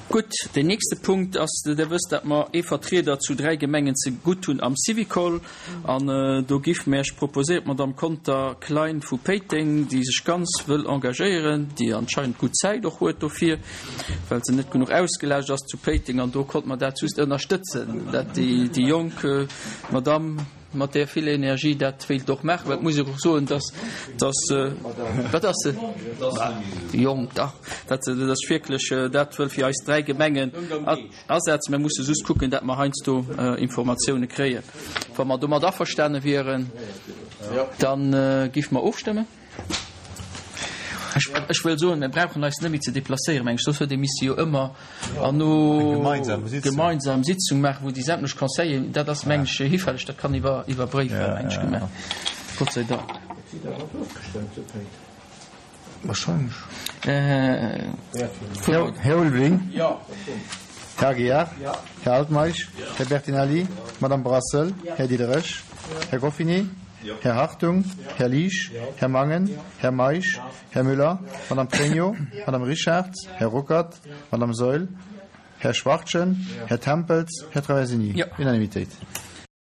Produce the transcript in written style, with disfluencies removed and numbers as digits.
Gutt, deen nächste Punkt ass, Der wësst, dat mer ee Vertrieder zu 3 Gemengen ze gutt hunn am Syvicol. An do giff mer Iech proposéieren, d'Madame Conter Klein vu Péiteng, déi sech ganz wëll engagéieren, déi anscheinend gutt Zäit och huet dofir, well se net genuch ausgelaascht ass zu Péiteng. An do konnt mer dat just ënnerstëtzen, dat déi jonk Madame mat där vill Energie dat wéilt och maachen. Well et muss ech och soen, dass, dass, wat ass se? Jonk, dach, dat se dat wierklech dat wëll fir eis 3 Gemengen asetzen. Mir musse just kucken, dat mer heiansdo Informatioune kréien. Wa mer domat averstane wieren, da géife mer ofstëmmen. Ech wëll soen, mir brauchen eis net méi ze deplacéieren, meng ech, soss huet ee misse jo ëmmer an no gemeinsam Sitzung maachen, wou déi sämtlech Conseilleren, dat ass, meng ech, hifälleg, dat kann iwwer iwwer Bréifer, meng ech, gemaach. Gott sei Dank. Wahrscheinlech. Här Ulveling. Här Aguiar. Här Altmeisch. Här Bertinelli. Madame Brassel. Här Diderich. Här Goffinet. Här Hartung. Här Liesch. Här Mangen. Här Meisch. Här Müller. Madame Pregno. Madame Richard. Här Ruckert. Madame Saeul. Här Schwachtgen. Här Tempels. Här Traversini. Unanimitéit.